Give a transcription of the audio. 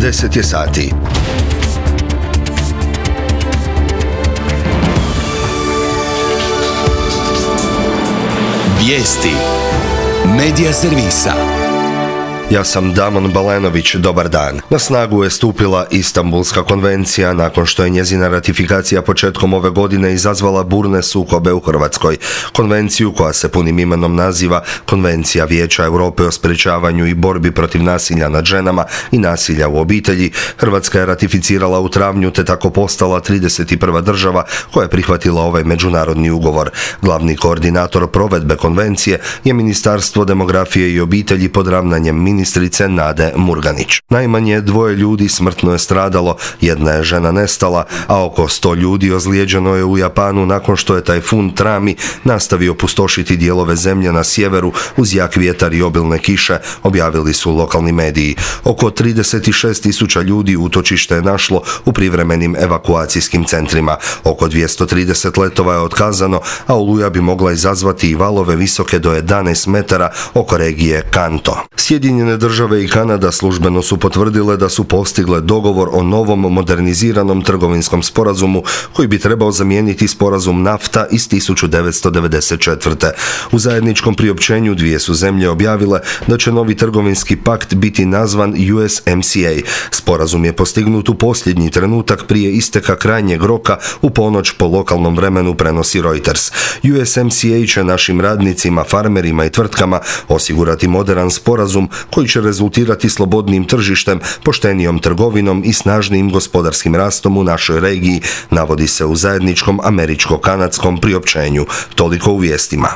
10 je sati. Vijesti Medija servisa. Ja sam Damon Balenović, dobar dan. Na snagu je stupila Istanbulska konvencija nakon što je njezina ratifikacija početkom ove godine izazvala burne sukobe u Hrvatskoj. Konvenciju, koja se punim imenom naziva Konvencija Vijeća Europe o sprječavanju i borbi protiv nasilja nad ženama i nasilja u obitelji, Hrvatska je ratificirala u travnju te tako postala 31. država koja je prihvatila ovaj međunarodni ugovor. Glavni koordinator provedbe konvencije je Ministarstvo demografije i obitelji pod ravnanjem ministrice Nade Murganić. Najmanje 2 ljudi smrtno je stradalo, 1 je žena nestala, a oko 100 ljudi ozlijeđeno je u Japanu nakon što je tajfun Trami nastavio pustošiti dijelove zemlje na sjeveru uz jak vjetar i obilne kiše, objavili su lokalni mediji. Oko 36.000 ljudi utočište je našlo u privremenim evakuacijskim centrima. Oko 230 letova je otkazano, a oluja bi mogla izazvati i valove visoke do 11 metara oko regije Kanto. Sjedinjene države i Kanada službeno su potvrdile da su postigle dogovor o novom moderniziranom trgovinskom sporazumu koji bi trebao zamijeniti sporazum NAFTA iz 1994. U zajedničkom priopćenju dvije su zemlje objavile da će novi trgovinski pakt biti nazvan USMCA. Sporazum je postignut u posljednji trenutak prije isteka krajnjeg roka u ponoć po lokalnom vremenu, prenosi Reuters. USMCA će našim radnicima, farmerima i tvrtkama osigurati moderan sporazum koji će rezultirati slobodnim tržištem, poštenijom trgovinom i snažnijim gospodarskim rastom u našoj regiji, navodi se u zajedničkom američko-kanadskom priopćenju. Toliko u vijestima.